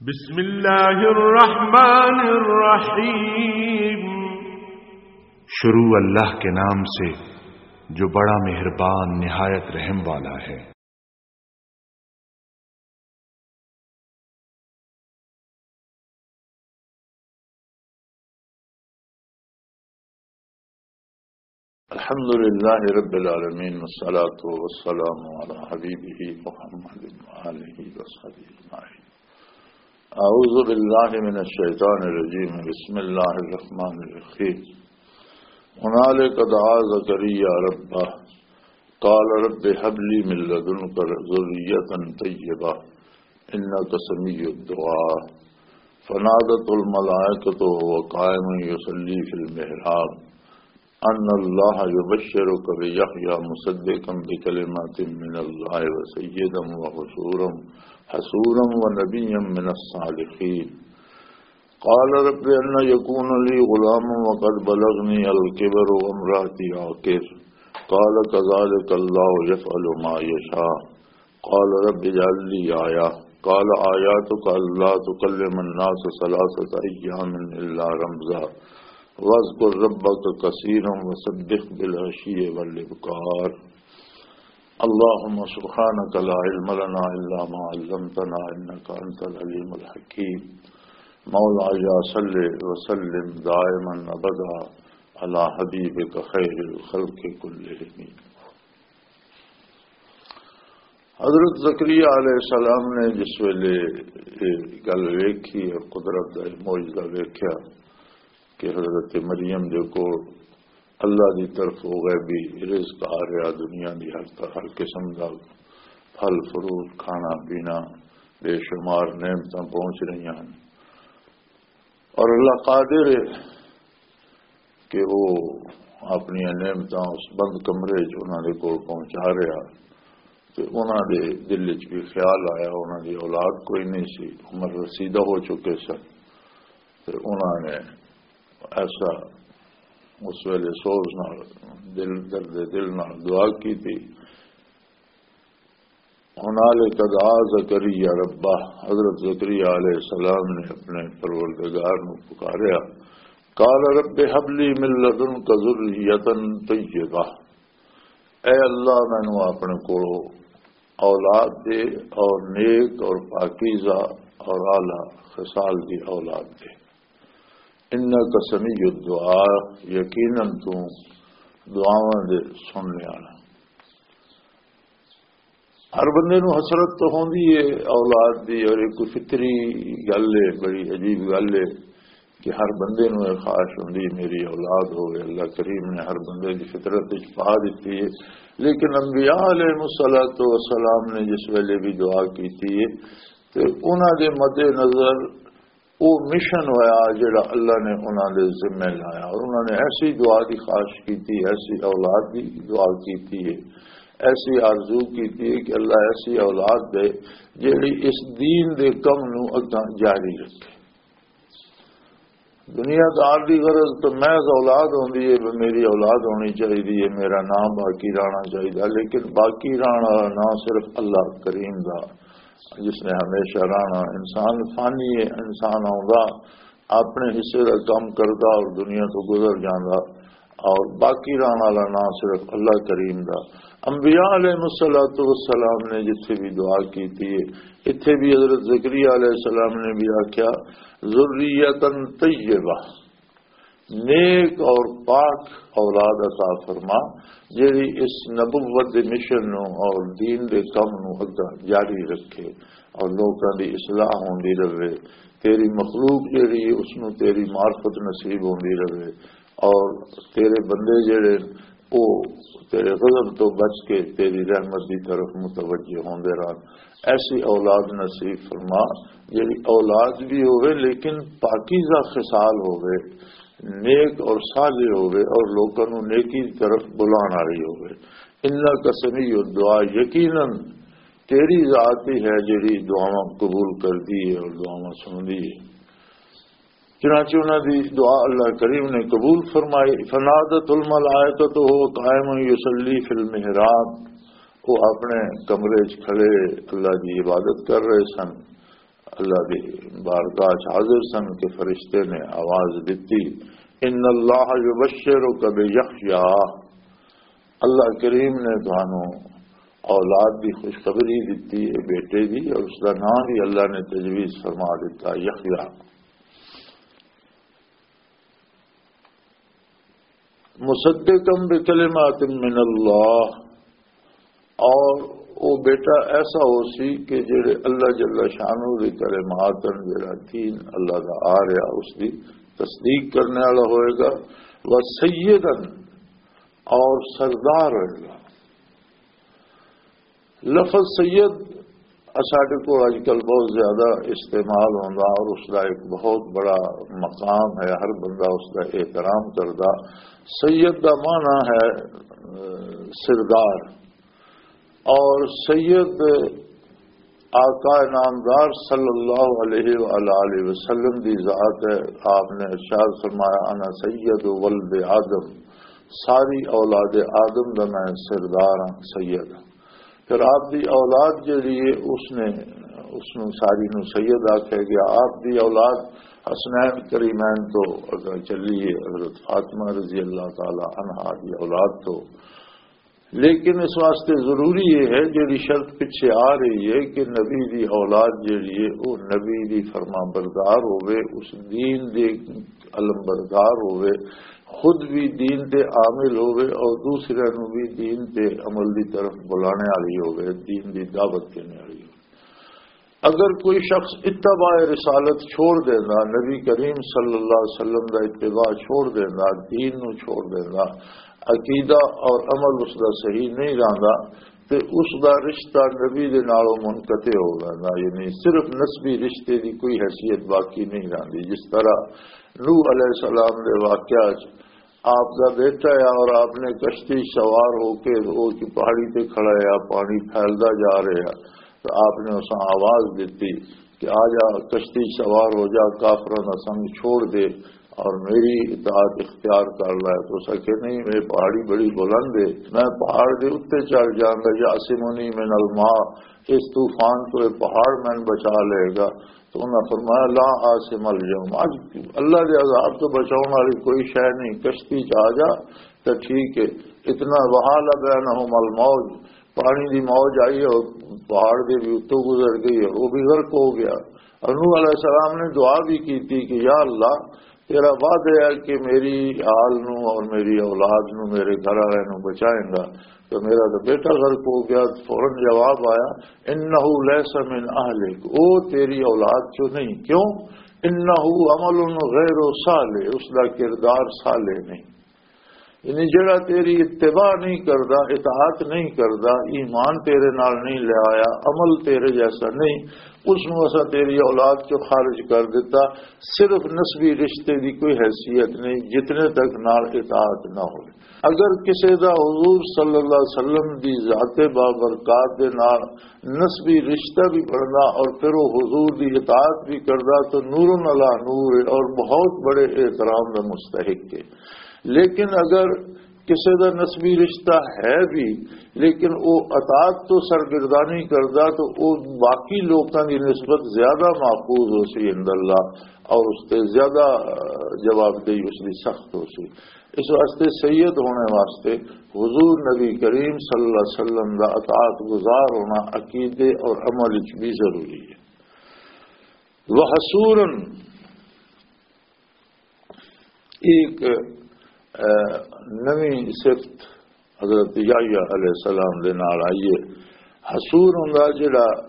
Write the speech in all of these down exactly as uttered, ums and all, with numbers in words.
بسم اللہ الرحمن الرحیم۔ شروع اللہ کے نام سے جو بڑا مہربان نہایت رحم والا ہے۔ الحمد لله رب العالمين، والصلاة والسلام على حبيبه محمد وآله وصحبه أجمعين. أعوذ بالله من الشيطان الرجيم. بسم الله الرحمن الرحيم. هنالك دعا زكريا ربه، قال رب هب لي من لدنك ذرية طيبة إنك سميع الدعاء. فنادته الملائكة وهو قائم يصلي في المحراب أن الله يبشرك بيحيى مصدقا بكلمة من الله وسيدا وحصورا، حصورا ونبيا من الصالحين. قال رب أن يكون لي غلام وقد بلغني الكبر وامرأتي عاقر. قال كذلك الله يفعل ما يشاء. قال رب اجعل لي آية. قال آياتك ألا تكلم الناس ثلاثة أيام إلا رمزا. واذكر ربك كثيرا وسبح بالعشي والإبكار. اللهم سبحانك لا علم لنا إلا ما علمتنا إنك أنت العليم الحكيم. مولاي صل وسلم دائما أبدا على حبيبك خير الخلق كلهم. حضرت زکریا علیہ السلام نے جس ویلے یہ گل ویکھی اور قدرت دا یہ معجزہ ویکھیا کہ حضرت مریم دے کول اللہ دی طرف ہو غیبی رزق آ رہا، دنیا دی ہر طرح، ہر قسم دا پھل فروٹ، کھانا پینا، بے شمار نعمتاں پہنچ رہی ہیں۔ اور اللہ قادر ہے کہ وہ اپنی نعمتاں اس بند کمرے چ انہاں دے کول پہنچا رہا۔ تے انہاں دے دل وچ بھی خیال آیا، انہاں دی اولاد کوئی نہیں سی، عمر رسیدہ ہو چکے سن۔ تے انہاں نے ایسا اس ویلے سوز نال، دل، درد دل نال دعا کی تھی۔ هنالك دعا زكريا ربه، حضرت زکریا علیہ السلام نے اپنے پروردگار نو پکاریا۔ قال رب هب لي من لدنك ذرية طيبة، اے اللہ، مینوں اپنے کولوں اولاد دے، اور نیک اور پاکیزہ اور اعلیٰ خصال دی اولاد دے۔ انک سمیع الدعاء، یقیناً تو دعاواں دے سننے والا۔ ہر بندے نوں حسرت تو ہوندی ہے اولاد دی، اور یہ کوئی فطری گل ہے، بڑی عجیب گل ہے کہ ہر بندے نوں یہ خواہش ہوندی ہے میری اولاد ہوئے۔ اللہ کریم نے ہر بندے دی فطرت وچ پا دتی ہے۔ لیکن انبیاء علیہ الصلوۃ والسلام نے جس ویلے بھی دعا کیتی ہے تے انہاں دے مد نظر وہ مشن ہویا جڑا اللہ نے انہاں دے ذمے لایا، اور انہاں نے ایسی دعا دی خواہش کیتی، ایسی اولاد دی دعا کیتی ہے، ایسی آرزو کیتی ہے کہ اللہ ایسی اولاد دے جڑی اس دین دے کم نو اگاں جاری رکھے۔ دنیا دار دی غرض تو محض اولاد ہوندی ہے، بھی میری اولاد ہونی چاہیے، میرا نام باقی رہنا چاہیے، لیکن باقی رہنا نہ صرف اللہ کریم دا، جس نے ہمیشہ رہنا۔ انسان فانی ہے، انسان آوندا، اپنے حصے دا کم کردا اور دنیا تو گزر جاندا، اور باقی رہن والا نام صرف اللہ کریم دا۔ انبیاء علیہ الصلوۃ والسلام نے جتھے بھی دعا کیتی ہے، اتھے بھی حضرت زکریا علیہ السلام نے بھی آکھیا، "ذریۃ طیبہ"، نیک اور پاک اولاد عطا فرما، جڑی اس نبوت دے مشن نو اور دین دے کم نو اگا جاری رکھے اور لوکاں دی اصلاح ہوندی رہے، تیری مخلوق جڑی ہے، اس نو تیری معرفت نصیب ہوندی رہے، اور تیرے بندے جڑے، او تیرے غضب تو بچ کے تیری رحمت دی طرف متوجہ ہوندے رہن۔ ایسی اولاد نصیب فرما، جڑی اولاد بھی ہوئے لیکن پاکیزہ خصال ہوئے، نیک اور صالح ہوئے، اور لوکاں نوں نیکی دی طرف بلان والی ہوئے۔ انک سمیع الدعاء، یقیناً تیری ذات ہی ہے جڑی دعاواں قبول کردی ہے اور دعاواں سندی ہے۔ چنانچہ انہاں دی دعا اللہ کریم نے قبول فرمائی۔ فنادت الملائکۃ وهو قائم یصلی فی المحراب، وہ اپنے کمرے وچ کھڑے اللہ دی عبادت کر رہے سن، اللہ دی بارگاہ چ حاضر سن کہ فرشتے نے آواز دتی، "ان اللہ یبشرک بیحییٰ"، اللہ کریم نے تانوں اولاد دی خوشخبری دتی ہے، بیٹے دی، اور اس دا نام بھی اللہ نے تجویز فرما دتا، یحییٰ۔ مصدقا بکلمات من اللہ، اور وہ بیٹا ایسا ہو سی کہ جڑے اللہ جل شانہ دے کلمات ہیں، جڑا دین اللہ دا آ رہا، اس دی تصدیق کرنے والا ہوئے گا۔ و سیدن، اور سردار ہوئے گا۔ لفظ سید ساڈے کو اج کل بہت زیادہ استعمال ہوندا اور اس دا ایک بہت بڑا مقام ہے، ہر بندہ اس دا احترام کردا۔ سید دا معنی ہے، اہ، سردار، اور سید آقا نامدار صلی اللہ علیہ وآلہ وسلم دی ذات ہے۔ آپ نے ارشاد فرمایا، "انا سید ولد آدم"، ساری اولاد آدم دا میں سردار ہاں، سید ہاں۔ پھر آپ دی اولاد جڑی ہے، اس نے، اس نوں ساری نوں سید آکھیا گیا۔ آپ دی اولاد حسنین کریمین تو اگے چلی ہے، حضرت فاطمہ رضی اللہ تعالی عنہا دی اولاد تو۔ لیکن اس واسطے ضروری یہ ہے، جڑی شرط پچھے آ رہی ہے کہ نبی دی اولاد جڑی ہے، وہ نبی دی فرمان بردار ہوئے، اس دین دے علم بردار ہوئے، خود بھی دین تے عامل ہوئے اور دوسرے نو بھی دین تے عمل دی طرف بلانے والی ہوئے، دین دی دعوت دینے والی ہوئے۔ اگر کوئی شخص اتباع رسالت چھوڑ دینا، نبی کریم صلی اللہ علیہ وسلم دا اتباع چھوڑ دینا، دین نو چھوڑ دینا، عقیدہ اور عمل اس دا صحیح نہیں رہندا، تے اس دا رشتہ نبی دے نالوں منقطع ہو ویندا، یعنی صرف نسبی رشتے دی کوئی حیثیت باقی نہیں رہندی۔ جس طرح نوح علیہ السلام دے واقعہ چ آپ دا بیٹا ہے اور آپ نے کشتی سوار ہو کے وہ پہاڑی تے کھڑا ہے، پانی پھیلدا جا رہا ہے، تو آپ نے اساں آواز دیتی کہ "آ جا، کشتی سوار ہو جا، کافراں دا سنگ چھوڑ دے اور میری اطاعت اختیار کر لے۔" تو اساں کہ "نہیں، یہ پہاڑی بڑی بلند ہے، میں پہاڑ دے اوتے چڑھ جاؤں گا، یعصمنی من الماء، اس طوفان تو یہ پہاڑ میں بچا لے گا۔" تو انہاں فرمایا، "لا عاصم الیوم"، اج اللہ دے عذاب تو بچاؤن والی کوئی شے نہیں، کشتی چ آ جا تے ٹھیک ہے۔ اتنا وحال بینہم الموج، پانی دی موج آئی اور پہاڑ دے بھی اتوں گزر گئی اور وہ بھی غرق ہو گیا۔ اور نوح علیہ السلام نے دعا بھی کی تھی کہ یا اللہ، تیرا وعدہ ہے کہ میری آل نو اور میری اولاد نو، میرے گھر والے نو بچائیں گا، تو میرا تو بیٹا غرق ہو گیا۔ فوراً جواب آیا، "انہ لیس من اہلک"، او تیری اولاد چوں نہیں۔ کیوں؟ "انہ عمل غیر صالح"، اس دا کردار صالح نہیں۔ یعنی جڑا تیری اتباع نہیں کردا، اطاعت نہیں کردا، ایمان تیرے نال نہیں لے آیا، عمل تیرے جیسا نہیں، اس نو اساں تیری اولاد چوں خارج کر دیتا۔ صرف نسبی رشتے دی کوئی حیثیت نہیں جتنے تک نال اطاعت نہ ہوئے۔ اگر کسے دا حضور صلی اللہ علیہ وسلم دی ذات بابرکات دے نال نسبی رشتہ بھی بننا اور پھر وہ حضور دی اطاعت بھی کردا تو نور علی نور ہے اور بہت بڑے احترام دا مستحق ہے۔ لیکن اگر کسے دا نسبی رشتہ ہے بھی، لیکن وہ اطاعت تو سرگردانی کردا تو وہ باقی لوکاں دی نسبت زیادہ محفوظ ہو سی عند اللہ اور اس تے زیادہ، آ، جوابدہی اس دی سخت ہو سی۔ اس واسطے سید ہونے واسطے حضور نبی کریم صلی اللہ علیہ وسلم دا اطاعت گزار ہونا عقیدے اور عمل وچ بھی ضروری ہے۔ وحصورن ایک، آ، نویں صفت حضرت یحییٰ علیہ السلام دے نال آئی ہے۔ حصور ہوندا جڑا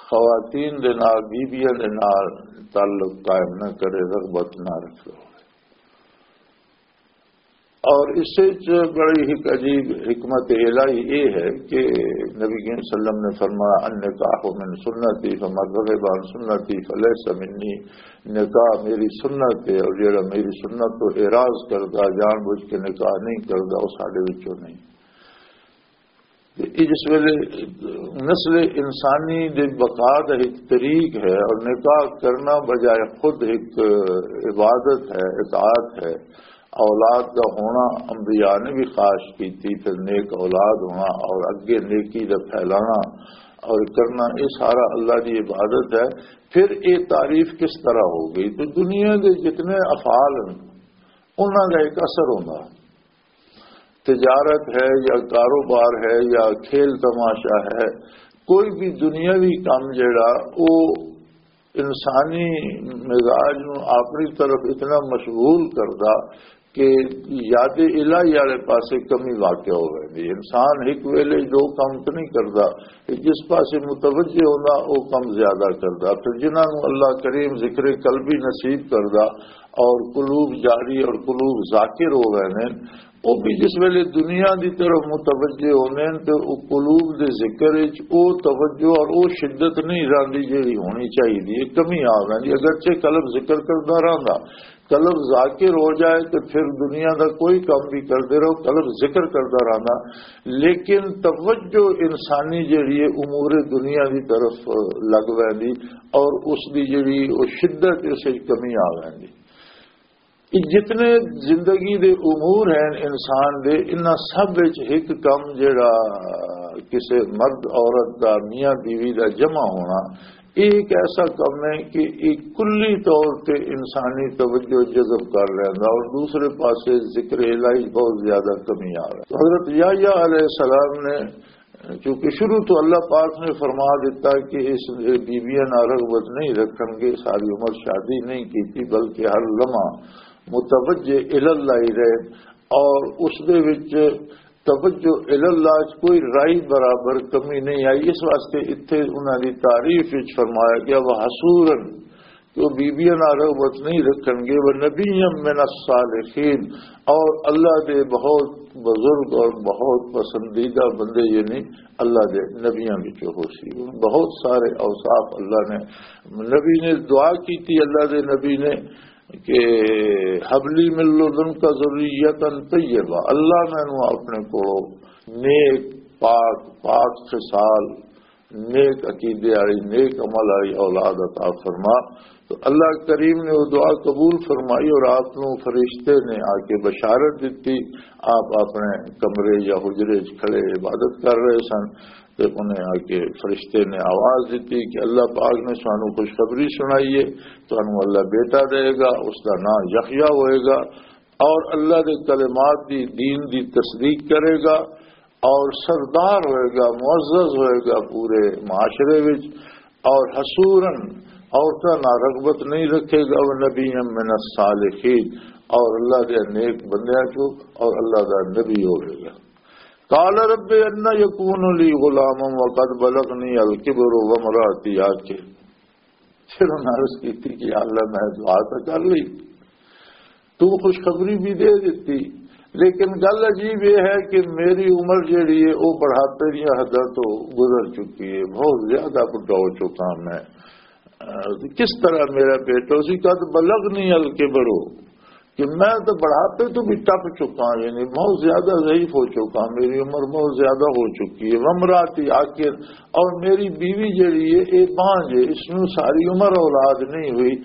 خواتین دے نال، بیبیاں دے نال تعلق قائم نہ کرے، رغبت نہ رکھے۔ اور اس سے جو بڑی ایک عجیب حکمت الہی یہ ہے کہ نبی کریم صلی اللہ علیہ وسلم نے فرمایا، "النکاح من سنتی فمن رغب عن سنتی فلیس منی"، نکاح میری سنت ہے، اور جڑا میری سنت تو اعراض کردا، جان بوجھ کے نکاح نہیں کردا، وہ ساڈے وچوں نہیں۔ تے اے جس ویلے نسل انسانی دے بقا دا ایک طریق ہے، اور نکاح کرنا بجائے خود ایک عبادت ہے، اطاعت ہے، اولاد دا ہونا انبیاء نے بھی خواہش کی تھی، پھر نیک اولاد ہونا اور اگے نیکی دا پھیلانا اور کرنا، یہ سارا اللہ دی عبادت ہے۔ پھر یہ تعریف کس طرح ہو گئی؟ تو دنیا کے جتنے افعال ہیں، انہاں کا ایک اثر ہوتا۔ تجارت ہے یا کاروبار ہے یا کھیل تماشا ہے، کوئی بھی دنیاوی کام جڑا، وہ انسانی مزاج نو اپنی طرف اتنا مشغول کردا کہ یاد الہی والے پاسے کمی واقع ہو ویندی۔ انسان ایک ویلے دو کام تو نہیں کردا، جس پاسے متوجہ ہوندا، وہ کم زیادہ کردا۔ پھر جنہاں نو اللہ کریم ذکر قلبی نصیب کردا اور قلوب جاری اور قلوب ذاکر ہو گئے نے، وہ بھی جس ویلے دنیا دی طرف متوجہ ہوندے نے، تے وہ قلوب دے ذکر وچ وہ توجہ اور وہ شدت نہیں رہندی جیڑی ہونی چاہیے، کمی آ ویندی۔ اگرچہ قلب ذکر کردا رہندا، قلب ذاکر ہو جائے تو پھر دنیا دا کوئی کام بھی کردے رہو، قلب ذکر کردا رہندا، لیکن توجہ انسانی جیڑی ہے امور دنیا دی طرف لگ ویندی اور اس دی جیڑی وہ شدت، اس وچ کمی آ ویندی۔ یہ جتنے زندگی دے امور ہیں انسان دے، انہاں سب وچ ایک کم جڑا کسے مرد عورت دا، میاں بیوی دا جمع ہونا، یہ ایک ایسا کم ہے کہ یہ کلی طور تے انسانی توجہ جذب کر لیندا اور دوسرے پاسے ذکر الہی بہت زیادہ کمی آ رہا ہے۔ حضرت یحییٰ علیہ السلام نے، چونکہ شروع تو اللہ پاک نے فرما دیتا کہ اس بیویاں نہ رغبت نہیں رکھن گے، ساری عمر شادی نہیں کی تھی، بلکہ ہر لمحہ متوجہ الاللہ ہی رہے اور اس دے وچ توجہ الاللہ چ کوئی رائی برابر کمی نہیں آئی۔ اس واسطے اتھے انہاں دی تعریف وچ فرمایا گیا، وہ حسورن، کہ وہ بیویاں نال رغبت نہیں رکھن گے، وہ نبی من الصالحین، اور اللہ دے بہت بزرگ اور بہت پسندیدہ بندے، یعنی اللہ دے نبیاں وچوں ہو سی۔ بہت سارے اوصاف اللہ نے نبی نے دعا کی تھی، اللہ دے نبی نے کہ حبلی من لدنک ذریۃ طیبہ، اللہ مینوں اپنے کولوں نیک، پاک، پاک خصال، نیک عقیدے والی، نیک عمل والی اولاد عطا فرما۔ تو اللہ کریم نے وہ دعا قبول فرمائی اور آپ نو فرشتے نے آ کے بشارت دتی۔ آپ اپنے کمرے یا حجرے وچ کھڑے عبادت کر رہے سن، تے انہیں آ کے فرشتے نے آواز دتی کہ اللہ پاک نے سانو خوشخبری سنائی ہے، تانوں اللہ بیٹا دے گا، اس دا نام یحییٰ ہوئے گا، اور اللہ دے کلمات دی، دین دی تصدیق کرے گا، اور سردار ہوئے گا، معزز ہوئے گا پورے معاشرے وچ، اور حسورن، عورتاں نہ رغبت نہیں رکھے گا، وہ نبی من الصالحین، اور اللہ دے نیک بندیاں چوں، اور اللہ دا نبی ہوئے گا۔ قال رب ان یکون لی غلام وقد بلغنی الکبر وامرأتی عاقر۔ پھر انہاں عرض کیتی کہ یا اللہ، میں دعا تو کر لی، تو خوشخبری بھی دے دیتی، لیکن گل عجیب یہ ہے کہ میری عمر جیڑی ہے، وہ بڑھاپے دیاں حداں تو گزر چکی ہے، بہت زیادہ بڈھا ہو چکا میں۔ اہ، کس طرح میرا بیٹا، اسی قد بلغنی الکبر ہو کہ میں تو بڑھاپے تو بھی ٹپ چکا ہوں، یعنی بہت زیادہ ضعیف ہو چکا ہوں، میری عمر بہت زیادہ ہو چکی ہے۔ وامرأتی عاقر، اور میری بیوی جیڑی ہے، یہ بانجھ ہے، اس نوں ساری عمر اولاد نہیں ہوئی،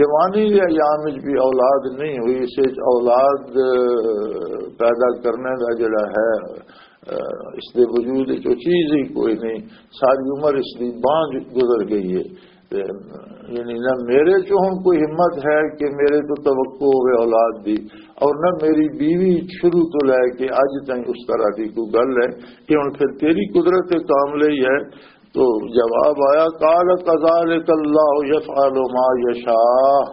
جوانی دے ایام وچ بھی اولاد نہیں ہوئی، اس وچ اولاد، اہ، پیدا کرنے دا جڑا ہے، اہ، اس دے وجود وچ وہ چیز ہی کوئی نہیں، ساری عمر اس دی بانجھ گزر گئی ہے۔ تے یعنی نہ میرے چ ہن کوئی ہمت ہے کہ میرے تو توقع ہوئے اولاد دی، اور نہ میری بیوی شروع تو لے کے اج تائیں اس طرح دی کوئی گل ہے کہ ہن پھر تیری قدرت کاملہ ہی ہے۔ تو جواب آیا، قال کذالک اللہ یفعل ما یشاء۔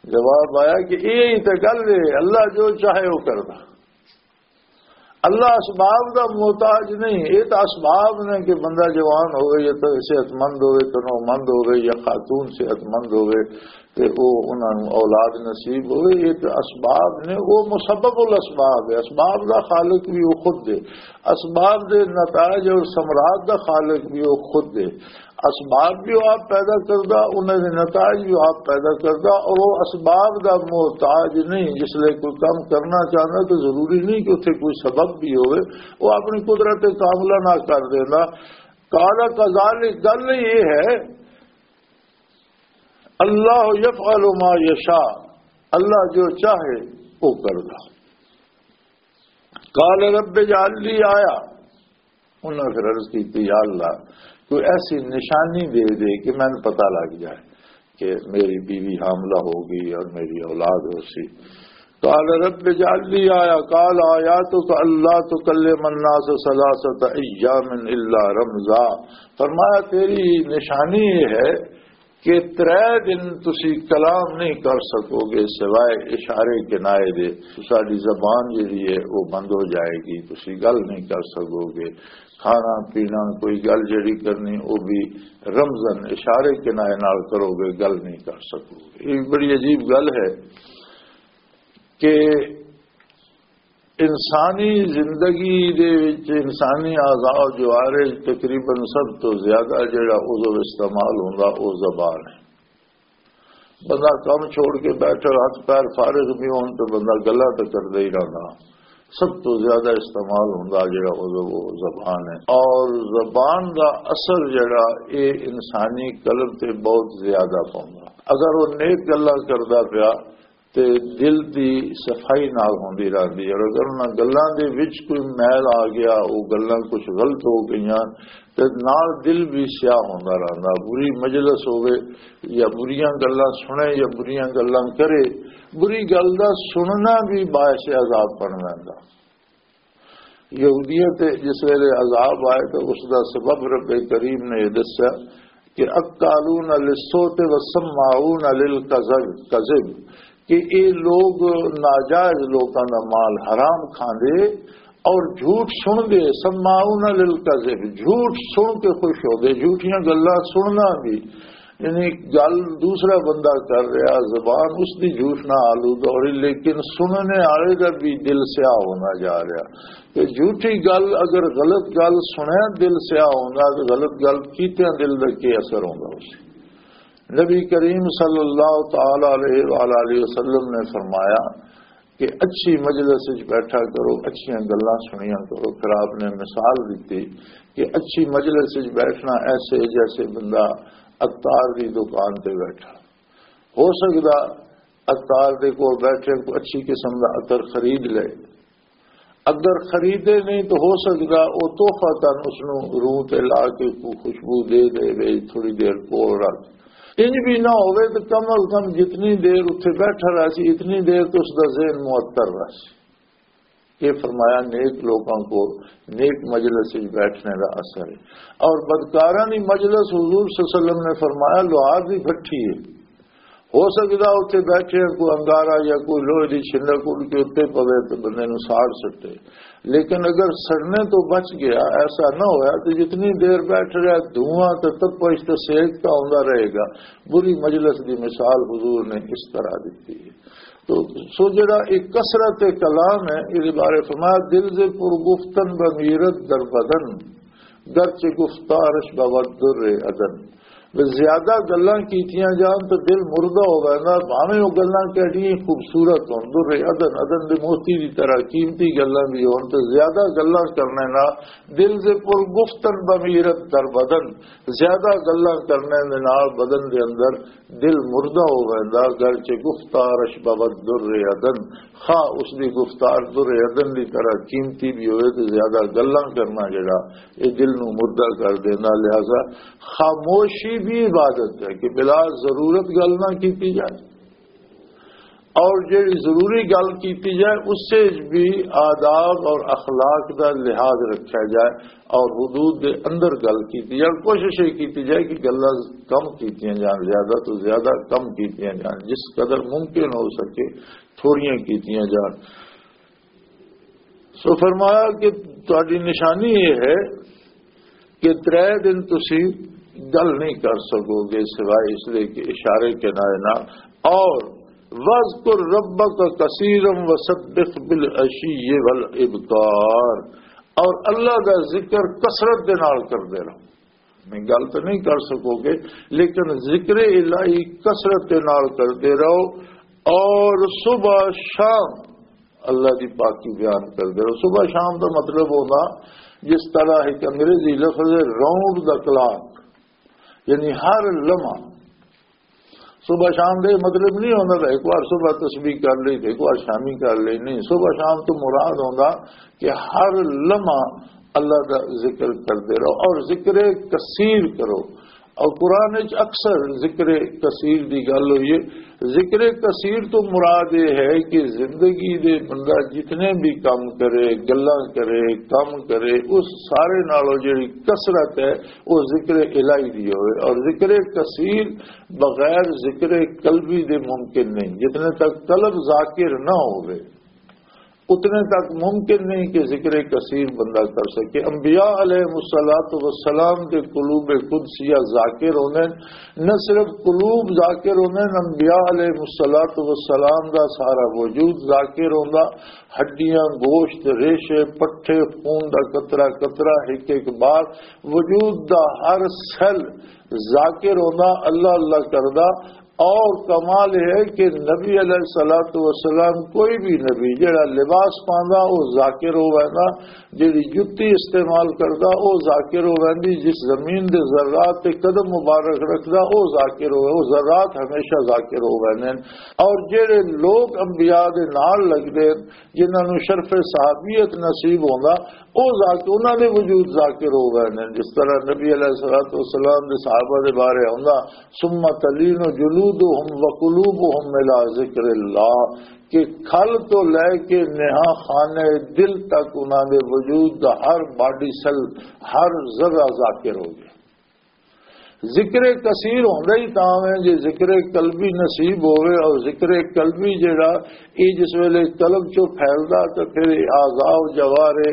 جواب آیا کہ یہ ہی تے گل ہے، اللہ جو چاہے وہ کردا۔ اللہ اسباب دا محتاج نہیں، یہ تو اسباب نے کہ بندہ جوان ہوئے یا تو صحت مند ہوئے، تنو مند ہوئے یا خاتون صحت مند ہوئے، تے او انہاں نوں اولاد نصیب ہوئے، یہ تو اسباب نے، وہ مسبب الاسباب ہے۔ اسباب دا خالق بھی وہ خود ہے، اسباب دے نتائج اور ثمرات دا خالق بھی وہ خود ہے۔ اسباب بھی وہ آپ پیدا کردا، انہاں دے نتائج بھی وہ آپ پیدا کردا، اور وہ اسباب دا محتاج نہیں۔ جس لئے کوئی کام کرنا چاہندا تو ضروری نہیں کہ اتھے کوئی سبب بھی ہوئے، وہ اپنی قدرت کاملہ نہ کر دیندا۔ قال کذالک، گل یہ ہے، اللہ یفعل ما یشاء، اللہ جو چاہے وہ کردا۔ قال رب اجعل لی آیہ، انہاں پھر عرض کی، یا اللہ، کوئی ایسی نشانی دے دے کہ مینوں پتہ لگ جائے۔ کہ میری بیوی حاملہ ہو گئی اور میری اولاد ہو سی۔ قال رب اجعل لي آية، قال آياتك ألا تكلم الناس ثلاثة أيام إلا رمزا۔ فرمایا، تیری نشانی یہ ہے کہ ترے دن تسی کلام نہیں کر سکو گے سوائے اشارے کنائے دے۔ تساڈی زبان جڑی ہے، وہ بند ہو جائے گی، تسی گل نہیں کر سکو گے۔ کھانا پینا، کوئی گل جڑی کرنی، وہ بھی رمزن، اشارے کنائے نال کرو گے، گل نہیں کر سکو گے۔ یہ بڑی عجیب گل ہے کہ انسانی زندگی دے وچ انسانی اعضاء و جوارح تقریباً سب تو زیادہ جڑا عضو استعمال ہوندا، او زبان ہے۔ بندہ کم چھوڑ کے بیٹھا، ہاتھ پیر فارغ بھی ہون تو بندہ گلا تو کردا ہی رہندا۔ سب تو زیادہ استعمال ہوندا جڑا عضو، وہ زبان ہے۔ اور زبان دا اثر جڑا، اے انسانی قلب تے بہت زیادہ پوندا۔ اگر وہ نیک گلا کردا پیا تے دل دی صفائی نال ہوندی رہندی ہے، اور اگر انہاں گلاں دے وچ کوئی میل آ گیا، وہ گلاں کچھ غلط ہو گئیاں، تے نال دل بھی سیاہ ہوندا رہندا۔ بری مجلس ہوے یا بریاں گلاں سنے یا بریاں گلاں کرے، بری گل دا سننا بھی باعث عذاب بن ویندا۔ یہودیت تے جس ویلے عذاب آئے تو اس دا سبب رب کریم نے یہ دسیا کہ اکالون للسوت و سماعون للکذب، کذب، کہ اے لوگ ناجائز لوکاں دا مال حرام کھاندے اور جھوٹ سن دے، سماعون للکذب، جھوٹ سن کے خوش ہو دے، جھوٹیاں گلاں سننا بھی، یعنی گل دوسرا بندہ کر رہا، زبان اس دی جھوٹ نہ آلودہ ہو رہی، لیکن سننے والے دا بھی دل سیاہ ہونا جا رہا۔ تے جھوٹی گل، اگر غلط گل سنیا، دل سیاہ ہوندا، تے غلط گل کیتیاں دل دا کی اثر ہوندا اس؟ نبی کریم صلی اللہ تعالی علیہ وآلہ وسلم نے فرمایا کہ اچھی مجلس وچ بیٹھا کرو، اچھیاں گلاں سنیا کرو۔ پھر آپ نے مثال دیتی کہ اچھی مجلس وچ بیٹھنا ایسے جیسے بندہ عطار دی دکان تے بیٹھا۔ ہو سکدا عطار دے کول بیٹھے کوئی اچھی قسم دا عطر خرید لے، اگر خریدے نہیں تو ہو سکدا او تحفہ تن اس نوں روح تے لا کے کوئی خوشبو دے دے، وے تھوڑی دیر کول رکھ۔ انج بھی نہ ہوئے تو کم از کم جتنی دیر اتھے بیٹھا رہا سی، اتنی دیر تو اس دا ذہن معطر رہا سی۔ یہ فرمایا نیک لوگوں کو نیک مجلس وچ بیٹھنے دا اثر ہے۔ اور بدکاراں دی مجلس، حضور صلی اللہ علیہ وسلم نے فرمایا، لوہار دی بھٹی ہے۔ ہو سکدا اتھے بیٹھے کوئی انگارا یا کوئی لوہے دی چھنڈک اڑ کے اتھے پوے تے بندے نوں ساڑ سٹے، لیکن اگر سڑنے تو بچ گیا، ایسا نہ ہویا، تو جتنی دیر بیٹھ رہا، دھواں تے تپش تے سیک تاں آندا رہے گا۔ بری مجلس دی مثال حضور نے اس طرح دتی ہے۔ تو سو جڑا ایک کثرت کلام ہے، یہ بارے فرمایا، دل سے پر گفتن بمیرت در بدن، گرچہ گفتارش بود در ادن۔ بس زیادہ گلاں کیتیاں جان تو دل مردہ ہو ویندا، بھاویں او گلاں کیڑی خوبصورت ہون، در ادن، ادن دے موتی دی طرح قیمتی گلاں بھی ہون، تو زیادہ گلاں کرنے نال دل دے پر گفتن بمیرت در بدن، زیادہ گلاں کرنے دے نال بدن دے اندر دل مردہ ہو ویندا۔ گرچہ گفتارش بود در ادن، خواہ اس دی گفتار در ادن دی طرح قیمتی بھی ہوئے، تو زیادہ گلاں کرنا جڑا، یہ دل نو مردہ کر دینا۔ لہذا خاموشی بھی عبادت ہے کہ بلا ضرورت گل نہ کیتی جائے، اور جڑی ضروری گل کیتی جائے، اس سے بھی آداب اور اخلاق دا لحاظ رکھا جائے اور حدود دے اندر گل کیتی جائے۔ کوشش یہ کیتی جائے کہ گلاں کم کیتیاں جان، زیادہ تو زیادہ کم کیتیاں جان، جس قدر ممکن ہو سکے تھوڑیاں کیتیاں جان۔ سو فرمایا کہ تہاڈی نشانی یہ ہے کہ ترے دن تسی گل نہیں کر سکو گے سوائے اس لئے کہ اشارے کنائے نال۔ اور وَاذْكُرْ رَبَّكَ كَثِيرًا وَسَبِّحْ بِالْعَشِيِّ وَالْإِبْكَارِ، اور اللہ دا ذکر کثرت دے نال کردے رہو۔ میں گل تو نہیں کر سکو گے، لیکن ذکر الہی کثرت دے نال کردے رہو، اور صبح شام اللہ دی پاکی بیان کردے رہو۔ صبح شام دا مطلب ہوندا، جس طرح ایک انگریزی لفظ ہے راؤنڈ دا کلاک، یعنی ہر لمحہ۔ صبح شام دے مطلب نہیں ہوندا کہ ایک بار صبح تسبیح کر لی تے ایک بار شامی کر لی، نہیں۔ صبح شام تو مراد ہوندا کہ ہر لمحہ اللہ دا ذکر کردے رہو اور ذکر کثیر کرو۔ اور قرآن وچ اکثر ذکر کثیر دی گل ہوئی ہے۔ ذکر کثیر تو مراد یہ ہے کہ زندگی دے بندہ جتنے بھی کام کرے، گلاں کرے، کام کرے، اس سارے نالوں جڑی کثرت ہے، وہ ذکر الہی دی ہوئے۔ اور ذکر کثیر بغیر ذکر قلبی دے ممکن نہیں۔ جتنے تک قلب ذاکر نہ ہوئے، اتنے تک ممکن نہیں کہ ذکر کثیر بندہ کر سکے۔ انبیاء علیہ الصلوۃ والسلام دے قلوب قدسیہ ذاکر ہوندے، نہ صرف قلوب ذاکر ہوندے، انبیاء علیہ الصلوۃ والسلام دا سارا وجود ذاکر ہوندا، ہڈیاں، گوشت، ریشے، پٹھے، خون دا قطرہ قطرہ، ایک ایک بار وجود دا ہر سیل ذاکر ہوندا، اللہ اللہ کردا۔ اور کمال یہ ہے کہ نبی علیہ الصلوۃ والسلام، کوئی بھی نبی جڑا لباس پاندا، وہ ذاکر ہو ویندا، جڑی جتی استعمال کردا، وہ ذاکر ہو ویندی، جس زمین دے ذرات تے قدم مبارک رکھدا، وہ ذاکر ہو، وہ ذرات ہمیشہ ذاکر ہو ویندے نے۔ اور جڑے لوگ انبیاء دے نال لگدے، جنہاں نوں شرف صحابیت نصیب ہوندا، او ذاکر، انہاں دے وجود ذاکر ہو گئے نے۔ جس طرح نبی علیہ الصلوۃ والسلام دے صحابہ دے بارے ہوندا، "ثم تلین جلودہم وقلوبہم الی ذکر اللہ"، کہ کھل تو لے کے نہا خانہ دل تک انہاں دے وجود دا ہر باڈی سیل، ہر ذرہ ذاکر ہو گیا۔ ذکر کثیر ہوندا ہی تاں ہے جے ذکر قلبی نصیب ہوئے، اور ذکر قلبی جڑا، اے جس ویلے قلب چوں پھیلدا تے پھر اے اعضاء و جوارے،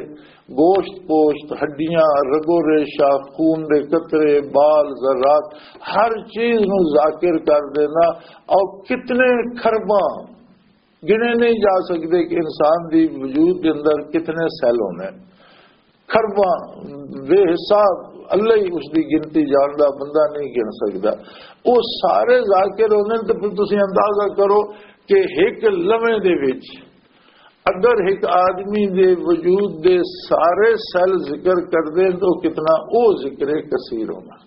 گوشت پوشت، ہڈیاں، رگ و ریشہ، خون دے قطرے، بال، ذرات، ہر چیز نو ذاکر کر دینا۔ اور کتنے کھرباں گنے نہیں جا سکدے کہ انسان دی وجود دے اندر کتنے سیل ہونے، کھرباں، بے حساب، اللہ ہی اس دی گنتی جاندا، بندہ نہیں گن سکدا۔ وہ سارے ذاکر ہونے، تو پھر تسی اندازہ کرو کہ ایک لمحے دے وچ اگر ایک آدمی دے وجود دے سارے سیل ذکر کر دیں تو کتنا او ذکر کثیر ہونا۔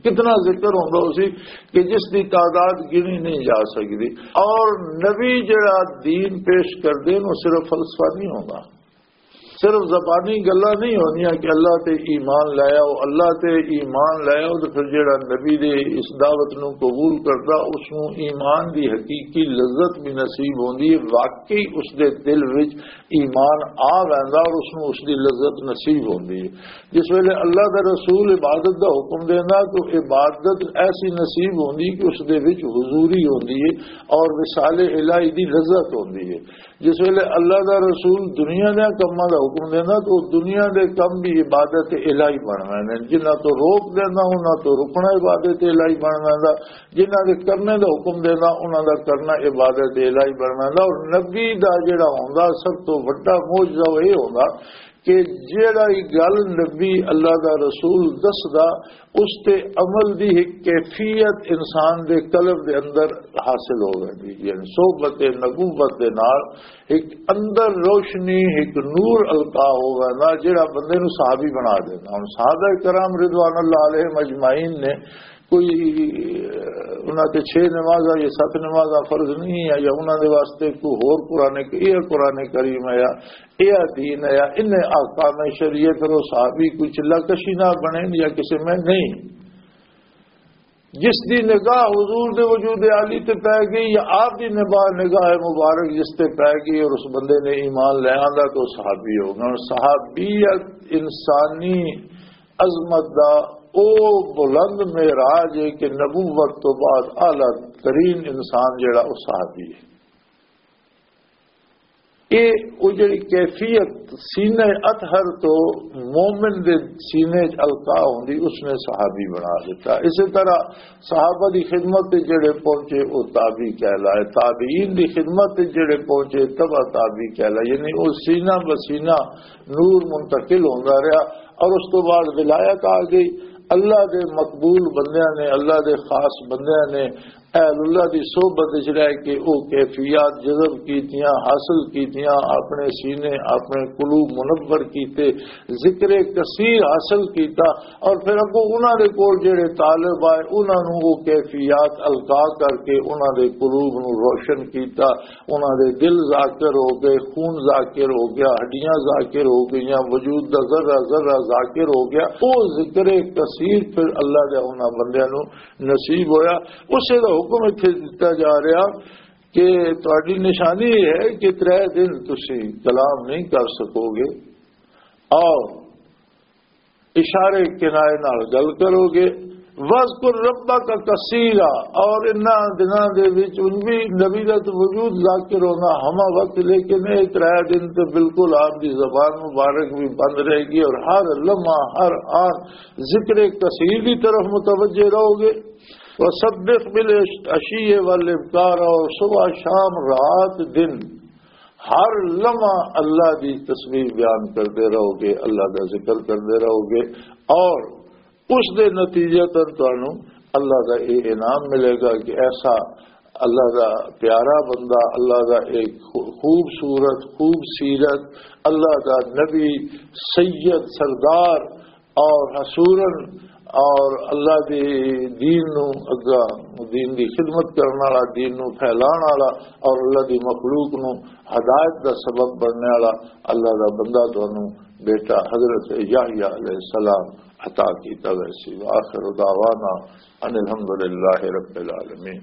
کتنا ذکر ہوندا اسی کہ جس دی تعداد گنی نہیں جا سکدی۔ اور نبی جڑا دین پیش کردے نو صرف فلسفہ نہیں ہوندا، صرف زبانی گلاں نہیں ہوندیاں کہ اللہ تے ایمان لے آؤ، اللہ تے ایمان لے آؤ، تے پھر جڑا نبی دے اس دعوت نو قبول کردا، اس نو ایمان دی حقیقی لذت بھی نصیب ہوندی ہے، واقعی اس دے دل وچ ایمان آ ویندا اور اس نو اس دی لذت نصیب ہوندی ہے۔ جس ویلے اللہ دا رسول عبادت دا حکم دیندا تو عبادت ایسی نصیب ہوندی کہ اس دے وچ حضوری ہوندی ہے اور وصال الہی دی لذت ہوندی ہے۔ جس ویلے اللہ دا رسول دنیا دے کماں دا حکم دیندا تو دنیا دے کم بھی عبادت الہی بن ویندے نے۔ جنہاں تو روک دیندا، انہاں تو رکنا عبادت الہی بن ویندا۔ جنہاں دے کرنے دا حکم دیندا، انہاں دا کرنا عبادت الہی بن ویندا۔ اور نبی دا جڑا ہوندا، سب تو وڈا معجزہ وہ یہ ہوندا کہ جیڑا ہی گل نبی اللہ دا رسول دسدا، اس تے عمل دی ایک کیفیت انسان دے قلب دے اندر حاصل ہو ویندی۔ یعنی صحبت نبوت دے نال ایک اندر روشنی، ایک نور القا ہو ویندا، جیڑا بندے نو صحابی بنا دیندا۔ ہن صحابہ کرام رضوان اللہ علیہم اجمعین نے کوئی، انہاں تے چھ نمازاں یا ست نمازاں فرض نہیں ہے، یا انہاں دے واسطے کوئی ہور قرآن، یہ قرآن کریم ہے، یا یہ دین ہے، یا انہیں احکام شریعت رو صحابی کوئی چلا کشی نہ بنے یا کسی میں نہیں۔ جس دی نگاہ حضور دے وجود عالی تے پے گئی یا آپ دی نگاہ، نگاہ مبارک جس تے پے گئی اور اس بندے نے ایمان لے آندا تو صحابی ہو گیا۔ اور صحابیت انسانی عظمت دا او بلند معراج ہے کہ نبوت تو بعد اعلیٰ ترین انسان جڑا او صحابی ہے۔ اے او جڑی کیفیت سینہ اطہر تو مومن دے سینے چ القا ہوندی، اس نے صحابی بنا دیتا۔ اسی طرح صحابہ دی خدمت تے جڑے پہنچے، او تابعی کہلائے، تابعین دی خدمت تے جڑے پہنچے، تبع تابعی کہلائے۔ یعنی او سینہ بسینہ نور منتقل ہوندا رہیا، اور اس تو بعد ولایت آ گئی۔ اللہ دے مقبول بندیاں نے، اللہ دے خاص بندیاں نے اہل اللہ دی صحبت وچ رہ کے او کیفیات جذب کیتیاں، حاصل کیتیاں، اپنے سینے، اپنے قلوب منور کیتے، ذکر کثیر حاصل کیتا، اور پھر اگوں انہاں دے کول جڑے طالب آئے، انہاں نوں او کیفیات القا کر کے انہاں دے قلوب نوں روشن کیتا، انہاں دے دل ذاکر ہو گئے، خون ذاکر ہو گیا، ہڈیاں ذاکر ہو گئیاں، وجود دا ذرہ ذرہ ذاکر ہو گیا۔ او ذکر کثیر پھر اللہ دے انہاں بندیاں نوں نصیب ہویا۔ اسے دا حکم اتھے دتا جا رہا کہ تہاڈی نشانی یہ ہے کہ ترے دن تسی کلام نہیں کر سکو گے، اور اشارے کنائے نال گل کرو گے۔ وَاذْكُرْ رَبَّكَ كَثِيرًا، اور انہاں دناں دے وچ ان بھی نبی دا تو وجود ذاکر ہونا ہما وقت، لیکن اے ترے دن تے بالکل آپ دی زبان مبارک بھی بند رہے گی، اور ہر لمحہ، ہر آن ذکر کثیر دی طرف متوجہ رہو گے۔ وَسَبِّحْ بِالْعَشِيِّ وَالْإِبْكَارِ، اور صبح، شام، رات، دن، ہر لمحہ اللہ دی تسبیح بیان کردے رہو گے، اللہ دا ذکر کردے رہو گے، اور اس دے نتیجتاً تانوں اللہ دا یہ انعام ملے گا کہ ایسا اللہ دا پیارا بندہ، اللہ دا ایک خو-، خوبصورت، خوب سیرت، اللہ دا نبی، سید، سردار، اور حصوراً اور اللہ دے دین نو اگا، دین دی خدمت کرن والا، دین نو پھیلان والا، اور اللہ دی مخلوق نو ہدایت دا سبب بننے والا اللہ دا بندہ تانوں بیٹا حضرت یحییٰ علیہ السلام عطا کیتا ویسی۔ وآخر دعوانا ان الحمدللہ رب العالمین۔